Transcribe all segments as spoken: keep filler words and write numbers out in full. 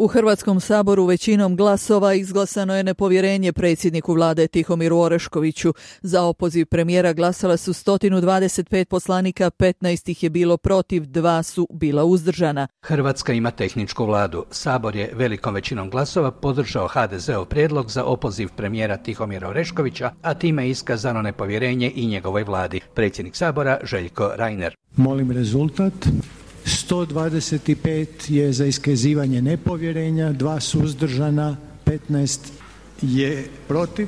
U Hrvatskom saboru većinom glasova izglasano je nepovjerenje predsjedniku vlade Tihomiru Oreškoviću. Za opoziv premijera glasala su sto dvadeset pet poslanika, petnaest ih je bilo protiv, dva su bila uzdržana. Hrvatska ima tehničku vladu. Sabor je velikom većinom glasova podržao ha de zeov prijedlog za opoziv premijera Tihomira Oreškovića, a time je iskazano nepovjerenje i njegovoj vladi. Predsjednik Sabora Željko Reiner. Molim rezultat. sto dvadeset pet je za iskazivanje nepovjerenja, dva suzdržana, petnaest je protiv.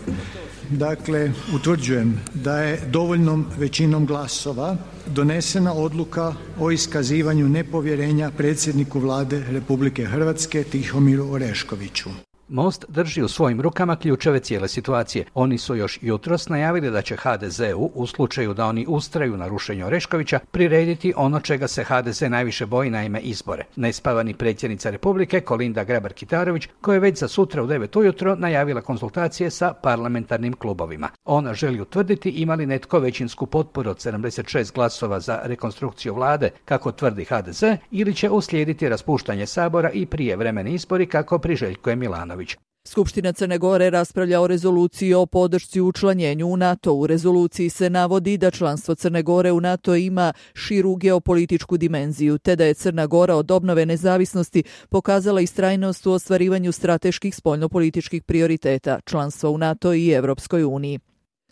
Dakle, utvrđujem da je dovoljnom većinom glasova donesena odluka o iskazivanju nepovjerenja predsjedniku vlade Republike Hrvatske Tihomiru Oreškoviću. Most drži u svojim rukama ključeve cijele situacije. Oni su još jutros najavili da će ha de zeu, u slučaju da oni ustraju na rušenju Oreškovića, prirediti ono čega se ha de ze najviše boji, naime izbore. Nespavani predsjednica Republike Kolinda Grabar-Kitarović, koja je već za sutra u devet ujutro najavila konzultacije sa parlamentarnim klubovima. Ona želi utvrditi ima li netko većinsku potporu od sedamdeset šest glasova za rekonstrukciju vlade, kako tvrdi ha de ze, ili će uslijediti raspuštanje Sabora i prijevremeni izbori, kako priželjkuje Milanović. Skupština Crne Gore raspravlja o rezoluciji o podršci učlanjenju u NATO. U rezoluciji se navodi da članstvo Crne Gore u NATO ima širu geopolitičku dimenziju, te da je Crna Gora od obnove nezavisnosti pokazala istrajnost u ostvarivanju strateških spoljnopolitičkih prioriteta, članstva u NATO i Evropskoj uniji.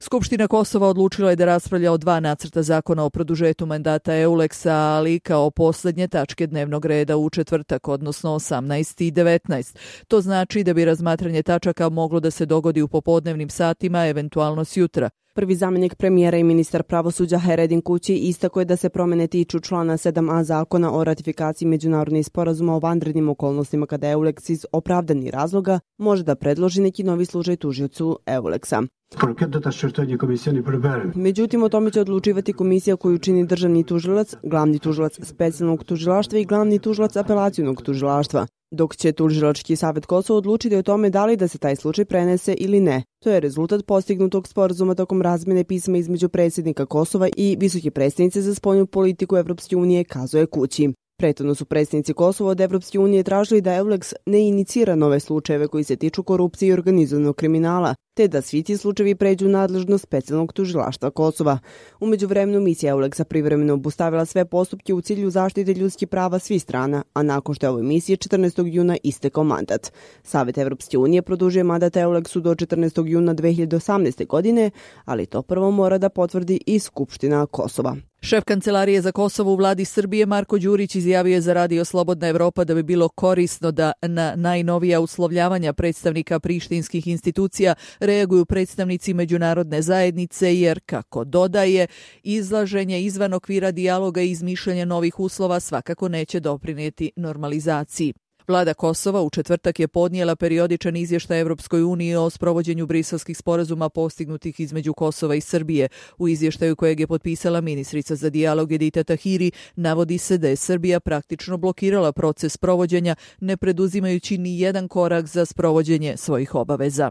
Skupština Kosova odlučila je da raspravlja o dva nacrta zakona o produžetu mandata Euleksa, ali kao posljednje tačke dnevnog reda u četvrtak, odnosno osamnaest i devetnaest. To znači da bi razmatranje tačaka moglo da se dogodi u popodnevnim satima, eventualno sjutra. Prvi zamjenik premijera i ministar pravosuđa Heredin Kući istakao je da se promjene tiču člana sedam a zakona o ratifikaciji međunarodnih sporazuma o vanrednim okolnostima kada Euleks iz opravdanih razloga može da predloži neki novi slučaj tužiocu Euleksa. Međutim, o tome će odlučivati komisija koju čini državni tužilac, glavni tužilac specijalnog tužilaštva i glavni tužilac apelacionog tužilaštva, dok će tužilački savjet Kosova odlučiti o tome da li da se taj slučaj prenese ili ne. To je rezultat postignutog sporazuma tokom razmjene pisma između predsjednika Kosova i visoke predstavnice za spoljnu politiku Evropske unije, kazuje Kući. Prethodno su predstavnici Kosova od Evropske unije tražili da Euleks ne inicira nove slučajeve koji se tiču korupcije i organizovanog kriminala, te da svi ti slučajevi pređu u nadležnost specijalnog tužilaštva Kosova. U međuvremenu misija Euleksa privremeno obustavila sve postupke u cilju zaštite ljudskih prava svih strana, a nakon što je ovoj misiji četrnaestog juna istekao mandat. Savjet Evropske unije produžuje mandat Euleksu do četrnaestog juna dve hiljade osamnaeste. godine, ali to prvo mora da potvrdi i Skupština Kosova. Šef Kancelarije za Kosovo u vladi Srbije Marko Đurić izjavio je za radio Slobodna Evropa da bi bilo korisno da na najnovija uslovljavanja predstavnika prištinskih institucija reaguju predstavnici međunarodne zajednice jer, kako dodaje, izlaženje izvan okvira dijaloga i izmišljanje novih uslova svakako neće doprinijeti normalizaciji. Vlada Kosova u četvrtak je podnijela periodičan izvještaj Evropskoj uniji o sprovođenju briselskih sporazuma postignutih između Kosova i Srbije. U izvještaju kojeg je potpisala ministrica za dijalog Edita Tahiri navodi se da je Srbija praktično blokirala proces sprovođenja, ne preduzimajući ni jedan korak za sprovođenje svojih obaveza.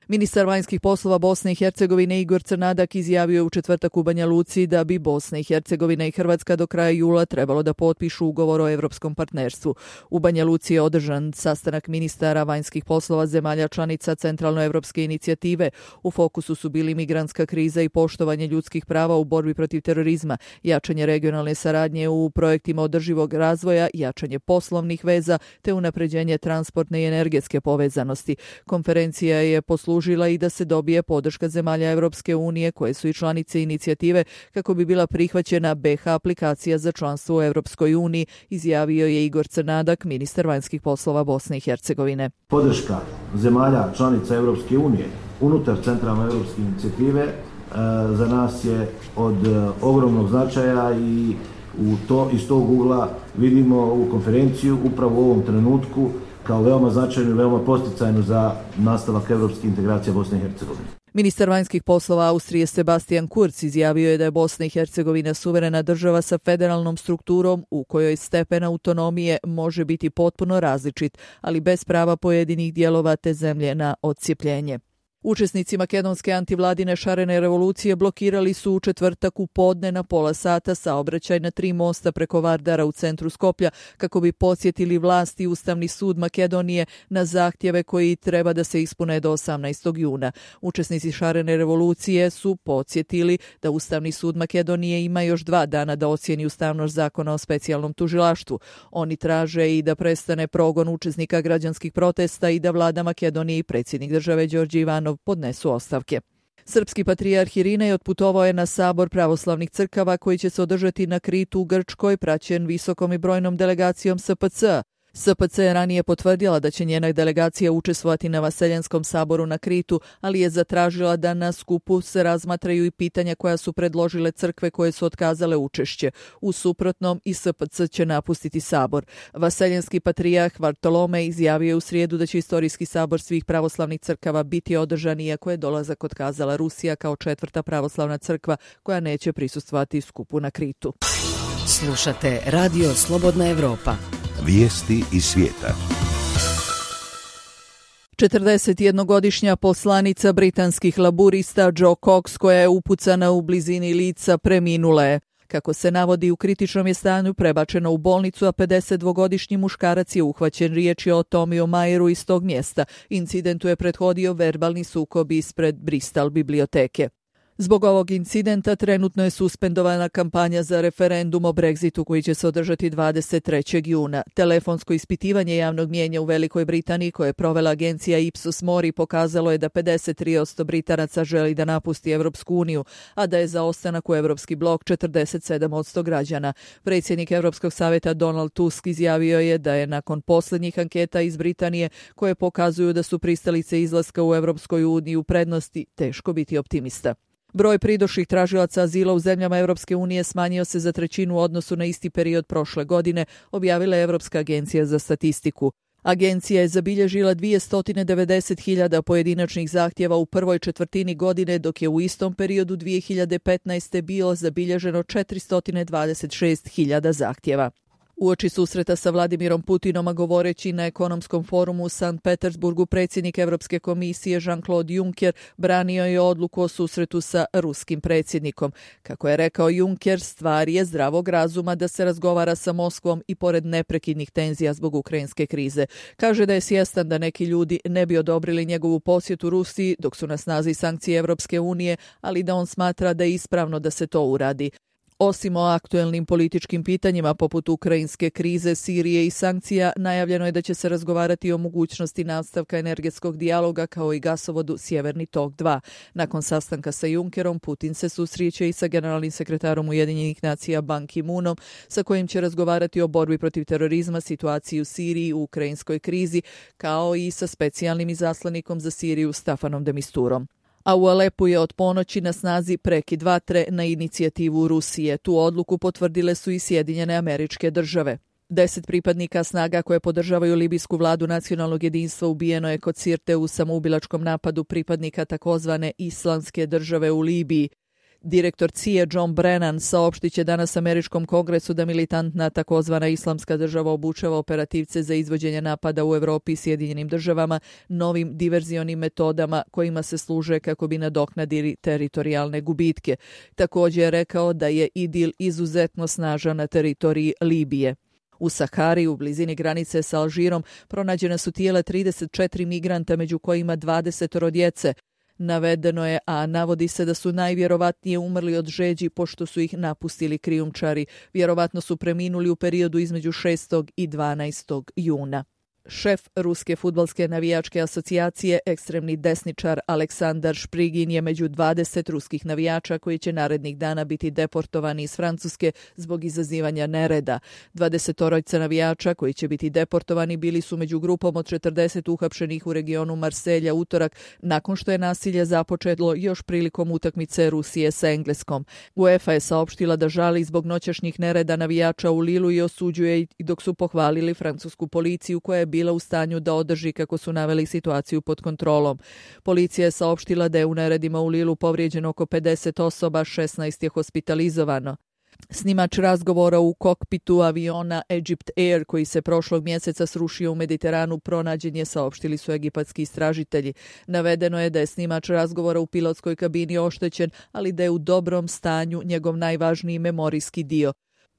Ministar vanjskih poslova Bosne i Hercegovine Igor Crnadak izjavio je u četvrtak u Banja Luci da bi Bosna i Hercegovina i Hrvatska do kraja jula trebalo da potpišu ugovor o evropskom partnerstvu. U Banja Luci je održan sastanak ministara vanjskih poslova zemalja članica Centralnoevropske inicijative. U fokusu su bili migrantska kriza i poštovanje ljudskih prava u borbi protiv terorizma, jačanje regionalne saradnje u projektima održivog razvoja, jačanje poslovnih veza te unapređenje transportne i energetske povezanosti. Konferencija je poslužila i da se dobije podrška zemalja Evropske unije koje su i članice inicijative kako bi bila prihvaćena be ha aplikacija za članstvo u Evropskoj uniji, izjavio je Igor Crnadak, ministar vanjskih poslova Bosne i Hercegovine. Podrška zemalja članica Evropske unije unutar centralnoevropske inicijative e, za nas je od e, ogromnog značaja i u to, iz tog ugla vidimo ovu konferenciju upravo u ovom trenutku kao veoma značajnu i veoma posticajnu za nastavak evropskih integracija Bosne i Hercegovine. Ministar vanjskih poslova Austrije Sebastian Kurz izjavio je da je Bosna i Hercegovina suverena država sa federalnom strukturom u kojoj stepen autonomije može biti potpuno različit, ali bez prava pojedinih dijelova te zemlje na odcijepljenje. Učesnici makedonske antivladine šarene revolucije blokirali su u četvrtak u podne na pola sata saobraćaj na tri mosta preko Vardara u centru Skoplja kako bi podsjetili vlasti Ustavni sud Makedonije na zahtjeve koji treba da se ispune do osamnaestog juna. Učesnici šarene revolucije su podsjetili da Ustavni sud Makedonije ima još dva dana da ocijeni ustavnost zakona o specijalnom tužilaštvu. Oni traže i da prestane progon učesnika građanskih protesta i da vlada Makedonije i predsjednik države Đorđe Ivanov podnesu ostavke. Srpski patrijarh Irinej otputovao je na sabor pravoslavnih crkava koji će se održati na Kritu u Grčkoj, praćen visokom i brojnom delegacijom S P C. S P C je ranije potvrdila da će njena delegacija učestvovati na Vaseljenskom saboru na Kritu, ali je zatražila da na skupu se razmatraju i pitanja koja su predložile crkve koje su otkazale učešće. U suprotnom i S P C će napustiti sabor. Vaseljenski patrijarh Vartolomej izjavio je u srijedu da će istorijski sabor svih pravoslavnih crkava biti održan, iako je dolazak otkazala Rusija kao četvrta pravoslavna crkva koja neće prisustvovati skupu na Kritu. Slušate Radio Slobodna Evropa. Vijesti iz svijeta. četrdesetjednogodišnja poslanica britanskih laburista Jo Cox, koja je upucana u blizini lica, preminula je. Kako se navodi, u kritičnom je stanju prebačena u bolnicu, a pedesetdvogodišnji muškarac je uhvaćen. Riječ je o Tomiju Majeru iz tog mjesta. Incidentu je prethodio verbalni sukob ispred Bristol biblioteke. Zbog ovog incidenta trenutno je suspendovana kampanja za referendum o Brexitu koji će se održati dvadeset trećeg juna. Telefonsko ispitivanje javnog mijenja u Velikoj Britaniji koje je provela agencija Ipsos Mori pokazalo je da pedeset tri posto Britanaca želi da napusti Evropsku uniju, a da je za ostanak u Evropski blok četrdeset sedam posto građana. Predsjednik Evropskog savjeta Donald Tusk izjavio je da je nakon posljednjih anketa iz Britanije koje pokazuju da su pristalice izlaska u Evropskoj uniji u prednosti, teško biti optimista. Broj pridošlih tražilaca azila u zemljama Evropske unije smanjio se za trećinu u odnosu na isti period prošle godine, objavila je Evropska agencija za statistiku. Agencija je zabilježila dvjesto devedeset hiljada pojedinačnih zahtjeva u prvoj četvrtini godine, dok je u istom periodu dvije hiljade petnaeste. bilo zabilježeno četiristo dvadeset šest hiljada zahtjeva. Uoči susreta sa Vladimirom Putinom, a govoreći na ekonomskom forumu u Sankt Petersburgu, predsjednik Europske komisije Jean-Claude Juncker branio je odluku o susretu sa ruskim predsjednikom. Kako je rekao Juncker, stvar je zdravog razuma da se razgovara sa Moskvom i pored neprekidnih tenzija zbog ukrajinske krize. Kaže da je svjestan da neki ljudi ne bi odobrili njegovu posjetu Rusiji dok su na snazi sankcije Europske unije, ali da on smatra da je ispravno da se to uradi. Osim o aktuelnim političkim pitanjima poput ukrajinske krize, Sirije i sankcija, najavljeno je da će se razgovarati o mogućnosti nastavka energetskog dijaloga kao i gasovodu Sjeverni tok dva. Nakon sastanka sa Junckerom, Putin se susreće i sa generalnim sekretarom Ujedinjenih nacija Ban Ki-moonom, sa kojim će razgovarati o borbi protiv terorizma, situaciji u Siriji, u ukrajinskoj krizi, kao i sa specijalnim izaslanikom za Siriju Stafanom de Misturom. A u Alepu je od ponoći na snazi prekid vatre na inicijativu Rusije. Tu odluku potvrdile su i Sjedinjene Američke Države. Deset pripadnika snaga koje podržavaju libijsku vladu nacionalnog jedinstva ubijeno je kod Sirte u samoubilačkom napadu pripadnika takozvane Islamske države u Libiji. Direktor C I A John Brennan saopštit će danas Američkom kongresu da militantna takozvana Islamska država obučava operativce za izvođenje napada u Europi i Sjedinjenim državama novim diverzionim metodama kojima se služe kako bi nadoknadili teritorijalne gubitke. Također je rekao da je IDIL izuzetno snažan na teritoriji Libije. U Sahari, u blizini granice sa Alžirom, pronađena su tijela trideset četiri migranta, među kojima dvadeset djece. Navedeno je, a navodi se da su najvjerovatnije umrli od žeđi pošto su ih napustili krijumčari. Vjerovatno su preminuli u periodu između šestog i dvanaestog juna. Šef Ruske fudbalske navijačke asocijacije, ekstremni desničar Aleksandar Šprigin je među dvadeset ruskih navijača koji će narednih dana biti deportovani iz Francuske zbog izazivanja nereda. dvadesetorica navijača koji će biti deportovani bili su među grupom od četrdeset uhapšenih u regionu Marselja utorak nakon što je nasilje započelo još prilikom utakmice Rusije sa Engleskom. UEFA je saopštila da žali zbog noćašnjih nereda navijača u Lilu i osuđuje ih dok su pohvalili francusku policiju koja je bila u stanju da održi, kako su naveli, situaciju pod kontrolom. Policija je saopštila da je u neredima u Lilu povrijeđeno oko pedeset osoba, šesnaest je hospitalizovano. Snimač razgovora u kokpitu aviona Egypt Air koji se prošlog mjeseca srušio u Mediteranu pronađen je, saopštili su egipatski istražitelji. Navedeno je da je snimač razgovora u pilotskoj kabini oštećen, ali da je u dobrom stanju njegov najvažniji memorijski dio.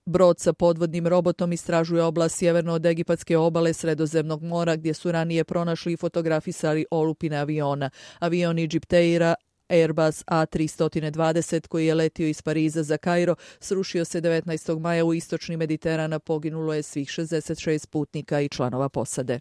Brod sa podvodnim robotom istražuje oblast sjeverno od egipatske obale Sredozemnog mora gdje su ranije pronašli i fotografisali olupine aviona. Avion Egypt Aira Airbus A tri dvadeset koji je letio iz Pariza za Kairo srušio se devetnaestog maja u istočni Mediteran, a poginulo je svih šezdeset šest putnika i članova posade.